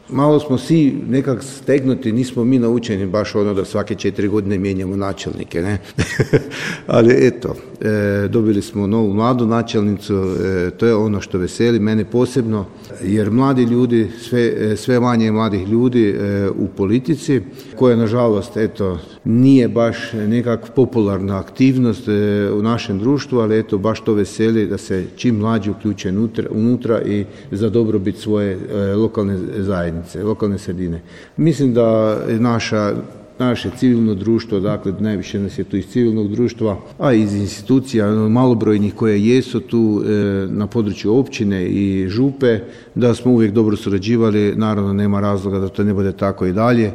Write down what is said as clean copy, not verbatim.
malo smo svi nekak stegnuti, nismo mi naučeni baš da svake 4 godine mijenjamo načelnike, ne? Ali eto, dobili smo novu mladu načelnicu, to je ono što veseli mene posebno, jer mladi ljudi, sve manje mladih ljudi u politici, koja nažalost nije baš nekak popularna aktivnost u našem društvu, ali baš to veseli da se čim mlađi uključe unutra i za dobrobit svoje lokalne zajednice, lokalne sredine. Mislim da naše civilno društvo, dakle najviše nas je tu iz civilnog društva, a iz institucija malobrojnih koje jesu tu na području općine i župe, da smo uvijek dobro surađivali, naravno nema razloga da to ne bude tako i dalje.